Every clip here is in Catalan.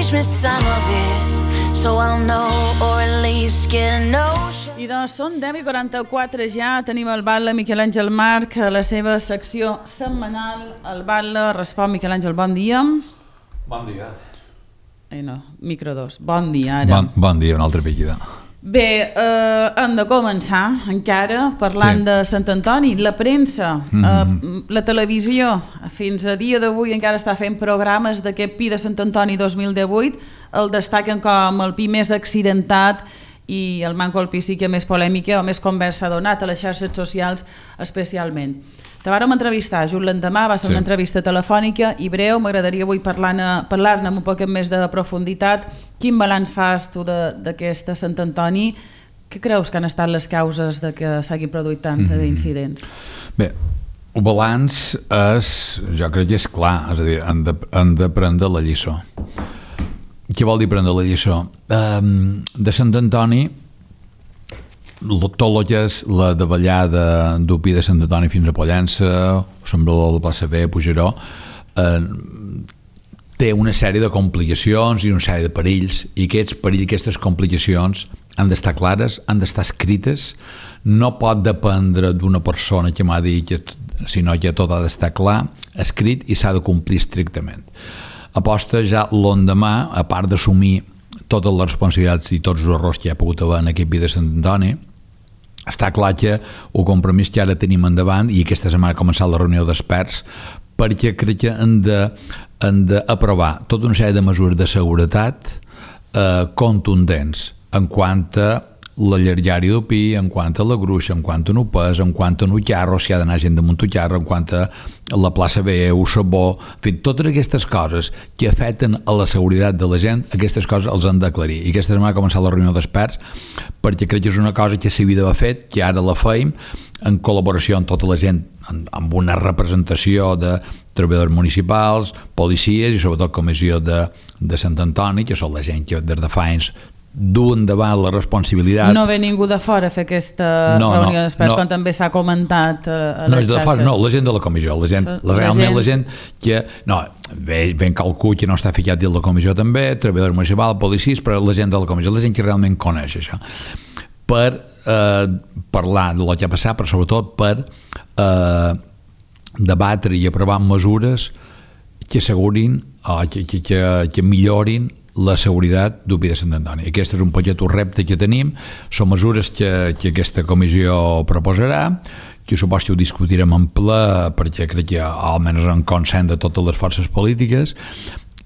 teach me some of it, so I'll know, or at least get a notion. I doncs són 10:44 ja, tenim el Batlle Miquel Àngel March a la seva secció setmanal. El Batlle respon. Miquel Àngel, bon dia. Bon dia. No, micro 2, bon dia ara. Bon dia, una altra pillida. Bé, hem de començar encara parlant de Sant Antoni. La premsa, la televisió, fins a dia d'avui encara està fent programes d'aquest Pi de Sant Antoni 2018. El destaquen com el Pi més accidentat i el manco el Pi sí que més polèmica o més conversa ha donat a les xarxes socials especialment. Te vàrem entrevistar just l'endemà, va ser una entrevista telefònica i breu. M'agradaria avui parlar-ne amb un poc més de profunditat. Quin balanç fas tu d'aquesta Sant Antoni? Què creus que han estat les causes de que s'hagin produït tants incidents? Bé, el balanç jo crec que és clar, és a dir, han de prendre la lliçó. Què vol dir prendre la lliçó? De Sant Antoni, tot el que és la davallada del Pi de Sant Antoni fins a Pollença, Sembrador de la plaça B, Puigneró, té una sèrie de complicacions i una sèrie de perills, i aquests perills, aquestes complicacions han d'estar clares, han d'estar escrites. No pot dependre d'una persona que m'ha dit, sinó que tot ha d'estar clar, escrit, i s'ha de complir estrictament. Aposta ja l'endemà, a part d'assumir totes les responsabilitats i tots els errors que hi ha pogut haver en aquest Pi de Sant Antoni, està clar que el compromís que ara tenim endavant, i aquesta setmana ha començat la reunió d'experts, perquè crec que han d'aprovar tota una sèrie de mesures de seguretat contundents en quant a la llargària del Pi, en quant a la gruixa, en quant a un pes, en quant a un carro, si ha d'anar gent damunt un carro, en quant a la plaça B, un sabó, en fi, totes aquestes coses que afecten a la seguretat de la gent, aquestes coses els han d'aclarir. I aquesta setmana ha començat la reunió d'experts, perquè crec que és una cosa que s'havia d'haver fet, que ara la feim, en col·laboració amb tota la gent, amb una representació de treballadors municipals, policies i sobretot comissió de Sant Antoni, que són la gent que des de fa anys duen davant la responsabilitat. No ve ningú de fora a fer aquesta reunió d'experts, quan també s'ha comentat a les xarxes. No, la gent de la comissió, realment la gent que... No, ben calcul que no està ficat dins la comissió també, treballadors municipals, policies, però la gent de la comissió, la gent que realment coneix això. Per parlar del que ha passat, però sobretot per debatre i aprovar mesures que assegurin, que millorin la seguretat del Pi de Sant Antoni. Aquest és un petit repte que tenim, són mesures que aquesta comissió proposarà, que suposo que ho discutirem en ple, perquè crec que almenys en consens de totes les forces polítiques,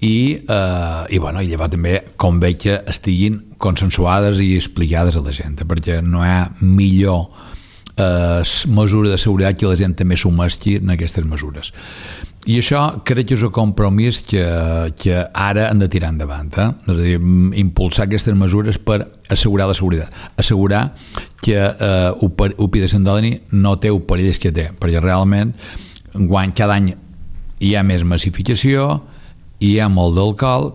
i llavors també convé que estiguin consensuades i explicades a la gent, perquè no hi ha millor mesura de seguretat que la gent també s'humesqui en aquestes mesures. I això crec que és un compromís que ara han de tirar endavant, és a dir, impulsar aquestes mesures per assegurar la seguretat, assegurar que el Pi de Sant Antoni no té el perill que té, perquè realment cada any hi ha més massificació, hi ha molt d'alcohol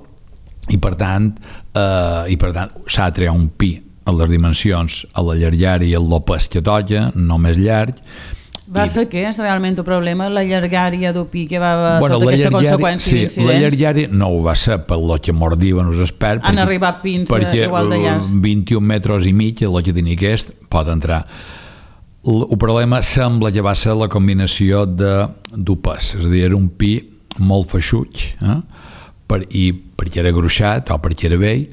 i per tant s'ha de triar un Pi a les dimensions, a la llargària i el lopes que toca, no més llarg. Va ser que és realment el problema, la llargària del Pi, que va haver tota aquesta conseqüència d'incidents? Sí, la llargària no ho va ser per lo que mos diuen els experts. Han arribat pins igual de llargs. Perquè 21 metres i mig, el que tenia aquest, pot entrar. El problema sembla que va ser la combinació d'un pes, és a dir, era un Pi molt feixuig, perquè era gruixat o perquè era vell,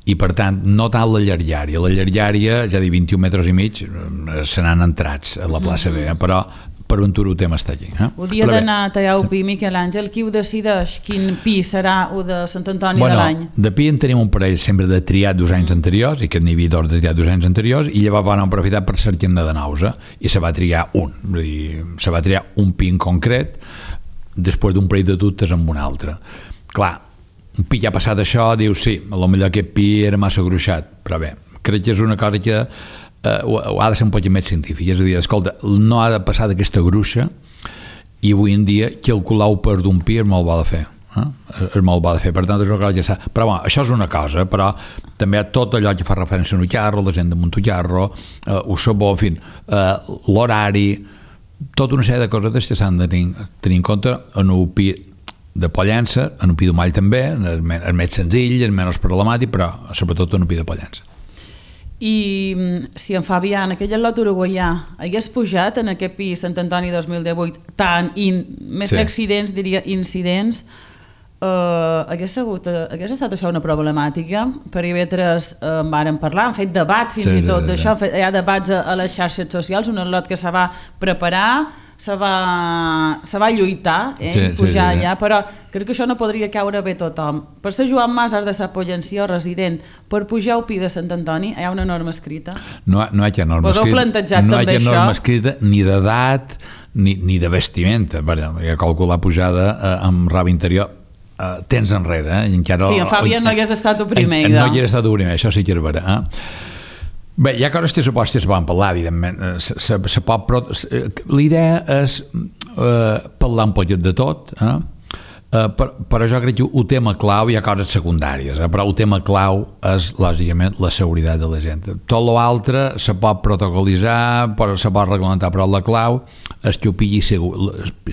i per tant no tant la llargària, ja dir 21 metres i mig, se n'han entrats a la plaça B, però per un tur ho tem estar aquí. El dia d'anar a tallar el Pi, Miquel Àngel, qui ho decideix? Quin Pi serà el de Sant Antoni de l'any? De Pi en tenim un parell sempre de triat dos anys anteriors, i que n'hi havia dos de triat dos anys anteriors, i llavors van aprofitar per cercar-ne de nous, i se va triar un, vull dir, se va triar un Pi en concret, després d'un parell de dubtes amb un altre. Clar, un Pi que ha passat això, diu sí, potser aquest Pi era massa gruixat, però bé, crec que és una cosa que ha de ser un poc més científic, és a dir, escolta, no ha de passar d'aquesta gruixa, i avui en dia calcular el pes d'un Pi és molt bo de fer, és molt bo de fer, per tant és una cosa que s'ha... Però bueno, això és una cosa, però també tot allò que fa referència a un carro, la gent damunt un carro, un sabó, en fi, l'horari, tota una sèrie de coses que s'han de tenir en compte en un Pi de Pollença, en Opidumall també, és més senzill, és menys problemàtic, però sobretot en Opí de Pollença. I si en Fabián, aquell lot uruguaià, hagués pujat en aquest pis Sant Antoni 2018 més que accidents, diria incidents, hagués estat això una problemàtica? Per IB3 en vàrem parlar, han fet debat fins i tot d'això, hi ha debats a les xarxes socials, un lot que se va preparar, se va lluitar, pujar allà, però crec que això no podria caure bé tothom. Per ser Joan Mas has de ser pollenció resident, per pujar al Pi de Sant Antoni hi ha una norma escrita? No hi ha norma escrita, no hi ha norma escrita ni d'edat ni de vestimenta, perquè calcular pujada amb raba interior temps enrere. Sí, en Fabián no hagués estat el primer. No hagués estat el primer, això sí que és vera. Bé, hi ha coses que suposo que es poden parlar, evidentment. L'idea és parlar un poquet de tot, però jo crec que el tema clau, hi ha coses secundàries, però el tema clau és, lògicament, la seguretat de la gent. Tot l'altre se pot protocolitzar, se pot reglamentar, però la clau és que ho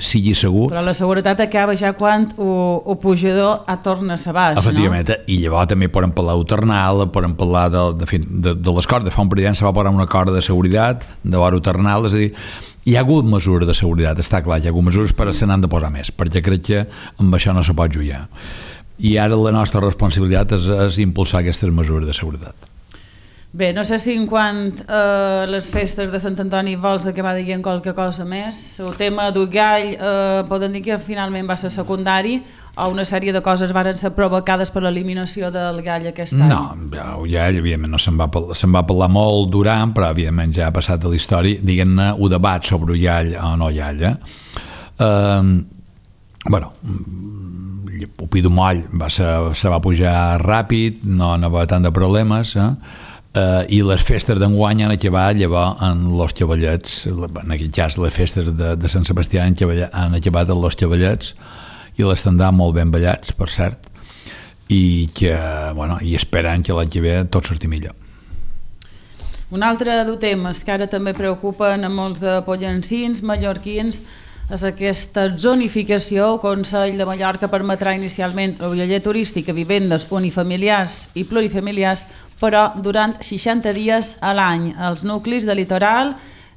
sigui segur. Però la seguretat acaba ja quan el pujador torna a baix, no? Efectivament, i llavors també podem parlar d'uternal, podem parlar de les cordes. Fa un parell d'anys se va posar una corda de seguretat, de vora uternal, és a dir, hi ha hagut mesures de seguretat, està clar, hi ha hagut mesures, però se n'han de posar més, perquè crec que amb això no se pot jugar. I ara la nostra responsabilitat és impulsar aquestes mesures de seguretat. Bé, no sé si en quant a les festes de Sant Antoni vols acabar dient qualque cosa més. El tema del gall, poden dir que finalment va ser secundari o una sèrie de coses van ser provocades per l'eliminació del gall aquest any? No, el gall, evidentment, no se'n va parlar molt durant, però evidentment ja ha passat a la història, diguem-ne, un debat sobre el gall o no gall. Bueno, el Pi d'Umoll se va pujar ràpid, no hi va tant de problemes, i les festes d'enguany han acabat llavors en los Cavallets, en aquest cas les festes de Sant Sebastià han acabat en los Cavallets i l'estendà molt ben ballats, per cert, i esperant que l'any que ve tot surti millor. Un altre dels temes que ara també preocupen a molts de pollancins, mallorquins, és aquesta zonificació. El Consell de Mallorca permetrà inicialment el lloguer turístic a vivendes unifamiliars i plurifamiliars, però durant 60 dies a l'any. Els nuclis de litoral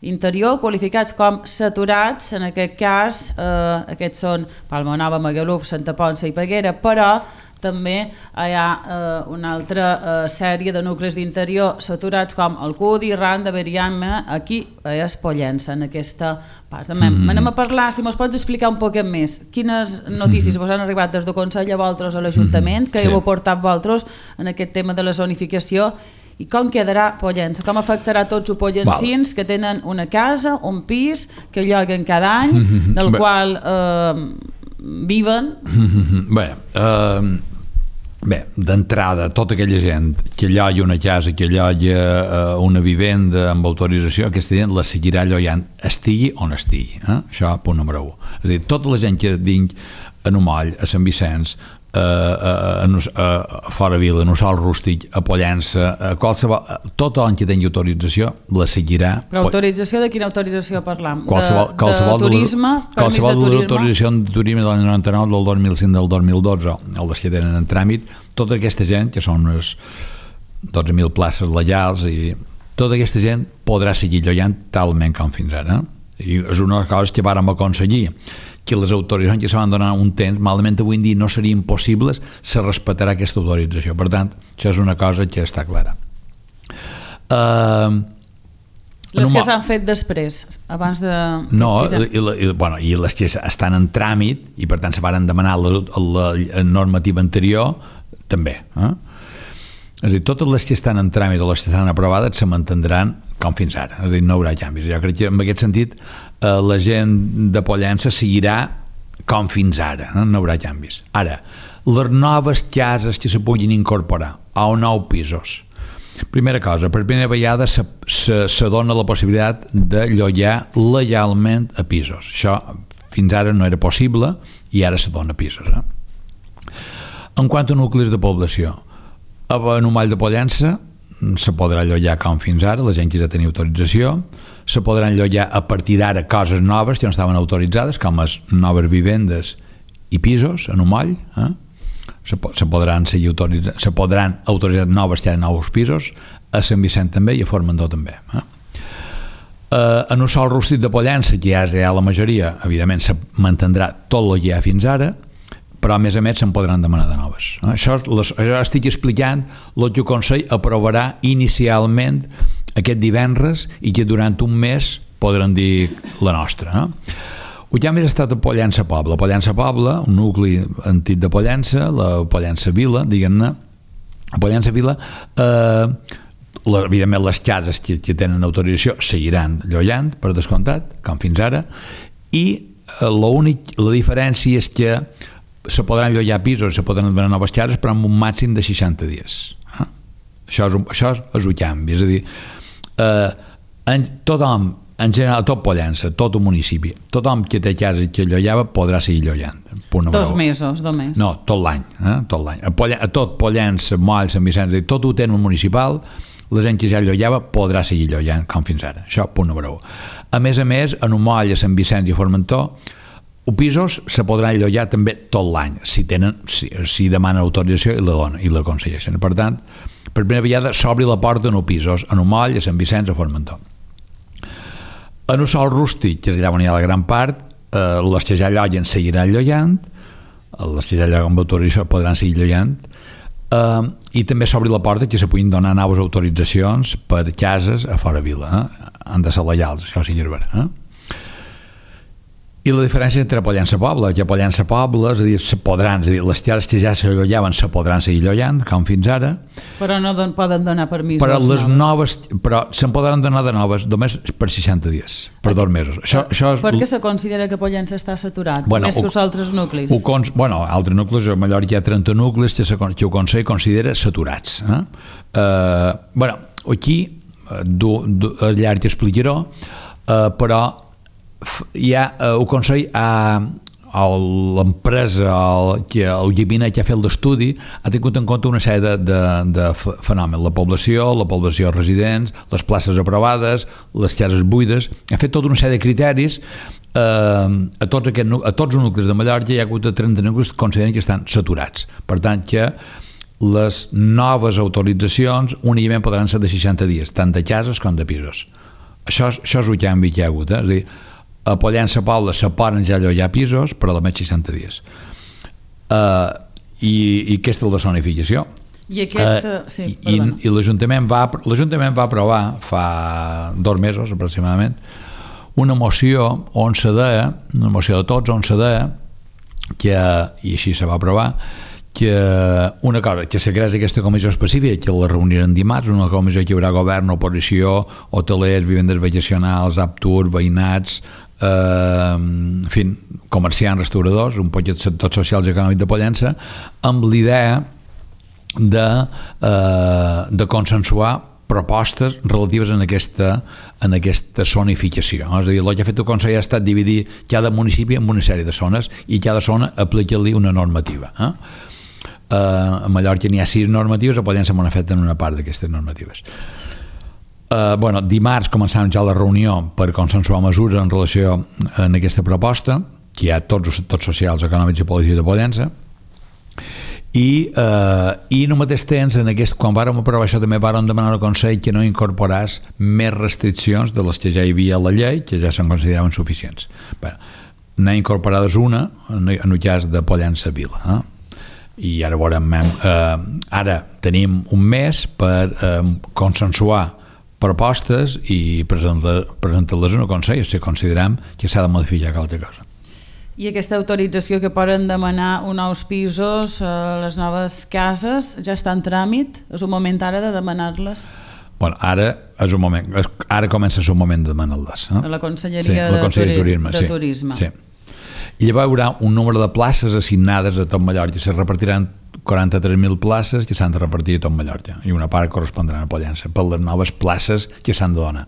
interior qualificats com saturats, en aquest cas aquests són Palma Nova, Magaluf, Santa Ponça i Peguera, però també hi ha una altra sèrie de nuclis d'interior saturats com Alcúdia, Randa, Beriama, aquí és Pollença, en aquesta part. Anem a parlar, si mos pots explicar un poquet més, quines notícies vos han arribat des del Consell a vosaltres a l'Ajuntament, que heu aportat vosaltres en aquest tema de la zonificació, i com quedarà Pollença, com afectarà tots els pollencins que tenen una casa, un pis, que lloguen cada any, del qual viven? Bé, d'entrada, tota aquella gent que lloga una casa, que lloga una vivenda amb autorització, aquesta gent la seguirà llogant, estigui on estigui. Això, punt número 1. És a dir, tota la gent que vinc a Numoll, a Sant Vicenç, a Fora Vila, a Nussol Rústic, a Pollença, a qualsevol, tothom que tingui autorització la seguirà. Però autorització de quina autorització parlam? Qualsevol de turisme? Qualsevol autorització de turisme de l'any 99, del 2005, del 2012, o les que tenen en tràmit, tota aquesta gent, que són unes 12.000 places legals, i tota aquesta gent podrà seguir llogant talment com fins ara. I és una de les coses que vàrem aconseguir, que les autoritzacions que se van donar un temps, malament avui en dia no serien possibles, se respectarà aquesta autorització. Per tant, això és una cosa que està clara. Les que s'han fet després, abans de... No, i les que estan en tràmit, i per tant se van demanar la normativa anterior, també. És a dir, totes les que estan en tràmit o les que estan aprovades se mantindran com fins ara, és a dir, no hi haurà canvis. Jo crec que en aquest sentit la gent de Pollença seguirà com fins ara, no hi haurà canvis. Ara, les noves cases que se puguin incorporar a nous pisos, primera cosa, per primera vegada se dona la possibilitat de llogar legalment a pisos. Això fins ara no era possible i ara se dona a pisos. En quant a nuclis de població, a Numoll de Pollença se podrà llogar com fins ara, la gent que ja tenia autorització, se podran llogar a partir d'ara coses noves que no estaven autoritzades, com les noves vivendes i pisos en un moll, se podran autoritzar noves llares, nous pisos, a Sant Vicent també i a Formentó també. En un sol rústic de Pollença, que ja és la majoria, evidentment se mantindrà tot el que hi ha fins ara, però a més se'n podran demanar de noves. Això estic explicant el que el Consell aprovarà inicialment aquest divendres i que durant un mes podran dir la nostra. El que ha més estat a Pollença Poble. Pollença Poble, un nucli antic de Pollença, la Pollença Vila, diguem-ne, a Pollença Vila, evidentment les cases que tenen autorització seguiran llogant, per descomptat, com fins ara, i la diferència és que se podran llogar pisos, se podran donar noves cases, però amb un màxim de 60 dies. Això és un canvi, és a dir, tothom, en general, tot Pollença, tot el municipi, tothom que té casa que llogava podrà seguir llogant. 2 mesos, només. No, tot l'any. A tot Pollença, Moll, Sant Vicenç, tot el terme municipal, la gent que ja llogava podrà seguir llogant com fins ara. Això, punt número 1. A més, en un Moll, a Sant Vicenç i a Formentó, els pisos se podran llogar també tot l'any, si demanen autorització i la concedeixen. Per tant, per primera vegada s'obri la porta en els pisos, en un Moll, a Sant Vicenç, a Formentó. En un sol rústic, que és allà on hi ha la gran part, les que ja lloguen seguiran llogant, les que ja lloguen amb autorització podran seguir llogant, i també s'obri la porta que se puguin donar noves autoritzacions per cases a fora vila. Han de ser legals, això sí que és vera. I la diferència entre Pollença Poble, que a Pollença Poble, és a dir, les cases que ja se llogaven se podran seguir llogant, com fins ara. Però no poden donar permisos però les noves. Però se'n podran donar de noves només per 60 dies, per 2 mesos. Per què se considera que Pollença està saturat, més que els altres nuclis? Altres nuclis, a Mallorca hi ha 30 nuclis que el Consell considera saturats. Aquí, al llarg explicaré, però hi ha el Consell, l'empresa, el gabinet que ha fet l'estudi, ha tingut en compte una sèrie de fenòmens, la població residents, les places aprovades, les cases buides, ha fet tota una sèrie de criteris. A tots els nuclis de Mallorca hi ha hagut 30 nuclis que consideren que estan saturats, per tant que les noves autoritzacions únicament podran ser de 60 dies, tant de cases com de pisos. Això és el canvi que hi ha hagut, és a dir, a Pollença Poble se poden ja llogar pisos per a només 60 dies, i aquesta és la zonificació. I l'Ajuntament va aprovar fa 2 mesos aproximadament una moció on se deia, una moció de tots on se deia que, i així se va aprovar, que una cosa, que se creés aquesta comissió específica, que la reuniran dimarts, una comissió que hi haurà govern, oposició, hotelers, vivendes vacacionals, Aptur, veïnats, en fi, comerciants, restauradors, un poc de sectors socials i econòmics de Pollença, amb l'idea de consensuar propostes relatives en aquesta zonificació. És a dir, el que ha fet el Consell ha estat dividir cada municipi en una sèrie de zones i cada zona aplicar-li una normativa. A Mallorca n'hi ha 6 normatives, a Pollença m'han fet en una part d'aquestes normatives. Dimarts començàvem ja la reunió per consensuar mesures en relació a aquesta proposta, que hi ha tots els sectors socials, econòmics i polítics de Pollença, i en el mateix temps, quan vàrem aprovar això, també vàrem demanar al Consell que no incorporés més restriccions de les que ja hi havia a la llei, que ja se'n consideraven suficients. N'ha incorporades una en el cas de Pollença Vila, i ara veurem, ara tenim un mes per consensuar propostes i presentar-les en el Consell si considerem que s'ha de modificar qualque cosa. I aquesta autorització que poden demanar uns nous pisos, les noves cases, ja està en tràmit? És un moment ara de demanar-les? Ara és un moment, ara comença a ser un moment de demanar-les. A la Conselleria de Turisme. Sí. I llavors hi haurà un número de places assignades a tot Mallorca, se repartiran 43.000 places que s'han de repartir a tot Mallorca i una part correspondrà a Pollença per les noves places que s'han de donar.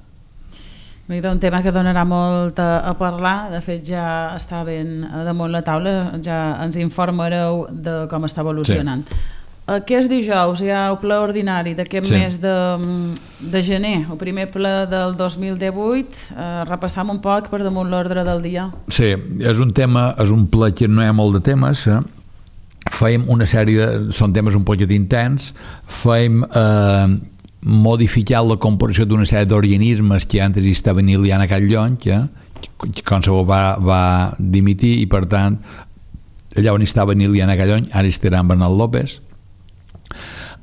Un tema que donarà molt a parlar, de fet ja està ben damunt la taula, ja ens informareu de com està evolucionant. Aquest dijous hi ha el ple ordinari d'aquest mes de gener, el primer ple del 2018. Repassam un poc per damunt l'ordre del dia. Sí, és un ple que no hi ha molt de temes. Fèiem una sèrie són temes un poquet intens. Fèiem modificar la composició d'una sèrie d'organismes que antes hi estaven Iliana Catllony, que qualsevol va dimitir, i per tant allà on estava Iliana Catllony ara estarà Bernat López.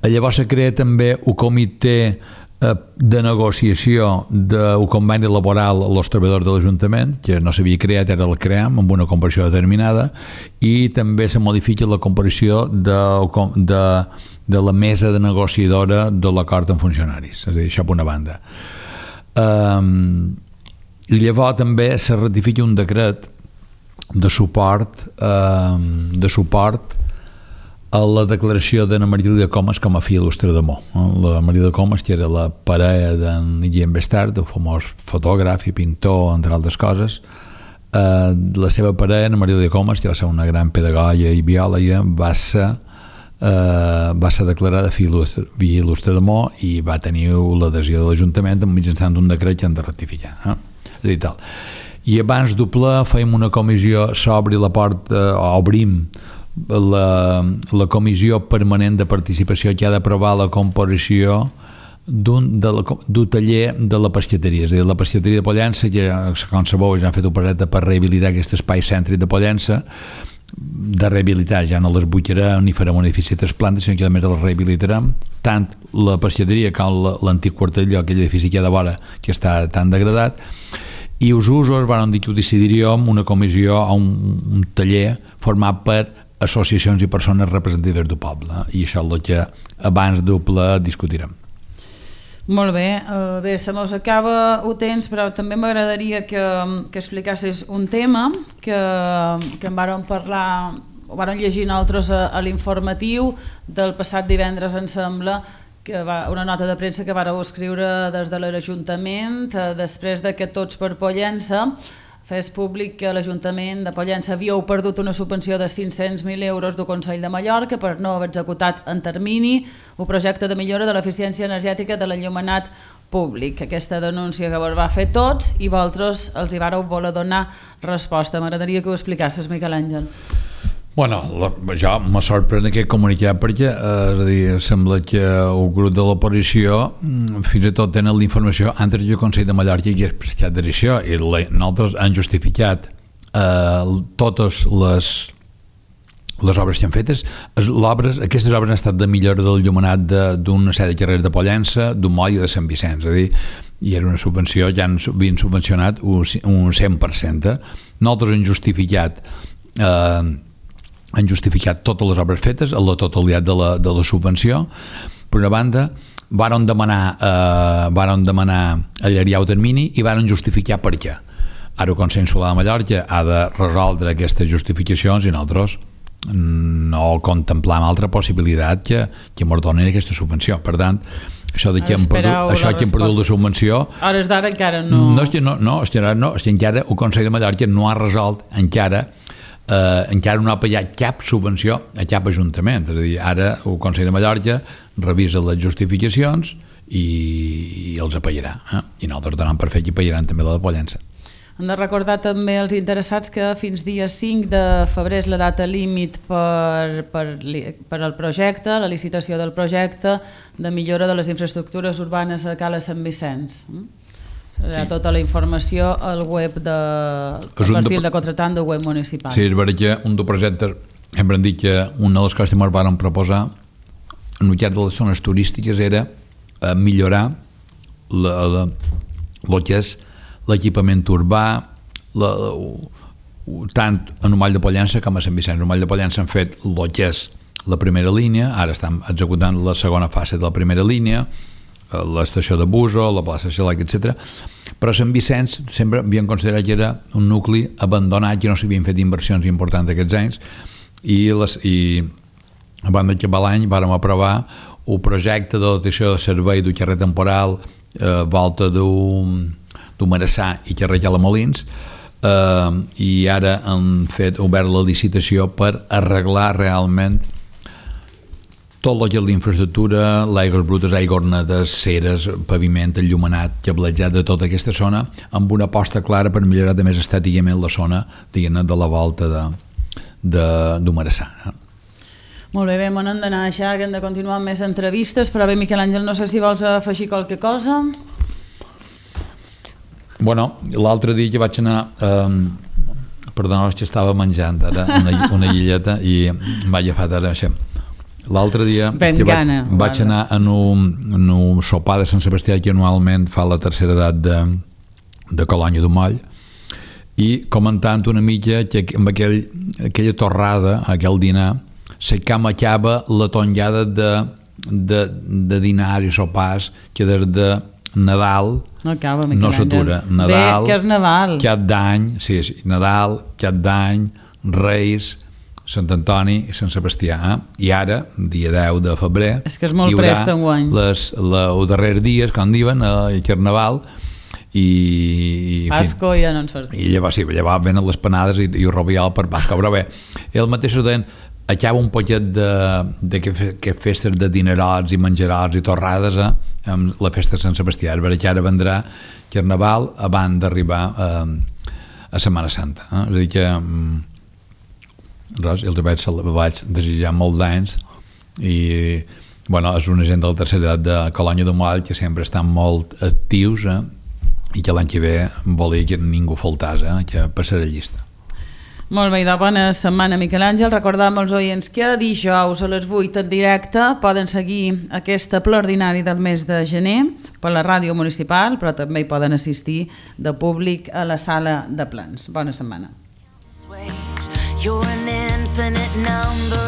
Llavors se crea també un comitè de negociació d'un conveni laboral als treballadors de l'Ajuntament, que no s'havia creat, ara el creem amb una composició determinada, i també se modifica la composició de la mesa de negociadora de l'acord amb funcionaris, és a dir, això per una banda. I llavors també se ratifica un decret de suport a la declaració d'Anna Maria Comas com a filla il·lustre de Mo. La Maria Comas, que era la parella d'en Guillem Bestard, el famós fotògraf i pintor, entre altres coses. La seva parella, Anna Maria Comas, que va ser una gran pedagoga i biòloga, va ser declarada filla il·lustre de Mo i va tenir l'adhesió de l'Ajuntament mitjançant un decret que han de ratificar. És a dir, tal. I abans del ple fèiem una comissió, s'obri la porta, obrim la comissió permanent de participació que ha d'aprovar la composició d'un taller de la pescateria. És a dir, la pescateria de Pollença, que com sabeu ja han fet un projecte per rehabilitar aquest espai cèntric de Pollença, de rehabilitar, ja no les butxarem ni farem un edifici de 3 plantes, sinó que a més les rehabilitarem, tant la pescateria com l'antic quartell, aquell edifici que hi ha de vora, que està tan degradat. I els usos van dir que ho decidiríem una comissió o un taller format per associacions i persones representatives del poble, i això és el que abans del ple discutirem. Molt bé, bé, se mos acaba el temps, però també m'agradaria que explicassis un tema que en vàrem parlar, ho vàrem llegir nosaltres a l'informatiu del passat divendres, em sembla, una nota de premsa que vàreu escriure des de l'Ajuntament després de que Tots per Pollença fes públic que l'Ajuntament de Pollença havíeu perdut una subvenció de 500.000 euros del Consell de Mallorca per no haver executat en termini un projecte de millora de l'eficiència energètica de l'enllumenat públic. Aquesta denúncia que vos va fer Tots i vosaltres els hi vàreu voler donar resposta. M'agradaria que ho explicassis, Miquel Àngel. Bueno, jo me sorprèn aquest comunicat perquè és a dir, sembla que el grup de l'oposició fins i tot tenen la informació antes del Consell de Mallorca que és prestat d'edició, i nosaltres han justificat totes les obres que han fetes. Aquestes obres han estat de millora del llumenat d'una sèrie de carrers de Pollença, d'un moll i de Sant Vicenç, és a dir, i era una subvenció, ja havien subvencionat un 100%. Nosaltres han justificat totes les obres fetes, la totalitat de la subvenció. Per una banda, varen demanar allargar el termini i varen justificar per què. Ara el Consell Insular de Mallorca ha de resoldre aquestes justificacions i nosaltres no contemplam altra possibilitat que ens donin aquesta subvenció. Per tant, això que hem perdut la subvenció, a hores d'ara encara no... És que encara el Consell de Mallorca no ha resolt encara no ha pagat cap subvenció a cap ajuntament. És a dir, ara el Consell de Mallorca revisa les justificacions i els pagarà. I nosaltres donem per fet que pagaran també la de Pollença. Hem de recordar també als interessats que fins dia 5 de febrer és la data límit per al projecte, la licitació del projecte de millora de les infraestructures urbanes a Cala Sant Vicenç. Hi ha tota la informació al web del perfil de contratant del web municipal. Sí, és veritat que un dels projectes, hem dit que una de les coses que ens van proposar en el cas de les zones turístiques era millorar el que és l'equipament urbà, tant a Numall de Pollença com a Sant Vicenç. A Numall de Pollença han fet el que és la primera línia, ara estan executant la segona fase de la primera línia, l'estació de Buso, la plaça Xalac, etc. Però Sant Vicenç sempre havien considerat que era un nucli abandonat, que no s'havien fet inversions importants aquests anys, i abans d'acabar l'any vam aprovar el projecte de dotació de servei del carrer temporal, volta d'un Marassà i carrer Calamolins, i ara han obert la licitació per arreglar realment tot el que és l'infraestructura, l'aigües brutes, aigües netes, ceres, paviment, enllumenat, cablejat de tota aquesta zona, amb una aposta clara per millorar de més estèticament la zona, diguem-ne, de la volta d'Humarsà. Molt bé, on hem d'anar això, que hem de continuar amb més entrevistes, però bé, Miquel Àngel, no sé si vols afegir qualque cosa. Bueno, l'altre dia que vaig anar... Perdona, que estava menjant ara una llilleta i m'ha agafat ara això. L'altre dia que vaig anar en un sopar de Sant Sebastià que anualment fa la tercera edat de Colònia de Moll, i comentant una mica que amb aquella torrada, aquell dinar, se camachava la tongada de dinars i sopars que des de Nadal no s'atura. Nadal, Cap d'Any, Nadal, Cap d'Any, Reis, Sant Antoni i Sant Sebastià. I ara, dia 10 de febrer, hi haurà els darrers dies, com diuen, el Carnaval, i Pasco ja no en surt. I llavors venen les panades i el rovial per Pasco. Però bé, el mateix deien, acaba un poquet de que festes de dinerots i menjarots i torrades amb la festa de Sant Sebastià. És veritat que ara vendrà Carnaval abans d'arribar a Setmana Santa. És a dir que res, els vaig desitjar molt d'anys i bueno, és una gent de la tercera edat de Colònia de Moll que sempre estan molt actius i que l'any que ve volia que ningú faltàs, que passarà llista. Molt bé, de bona setmana, Miquel Àngel. Recordam als oients que dijous a les 8 en directe poden seguir aquesta ple ordinari del mes de gener per la ràdio municipal, però també hi poden assistir de públic a la sala de plens. Bona setmana. You're an infinite number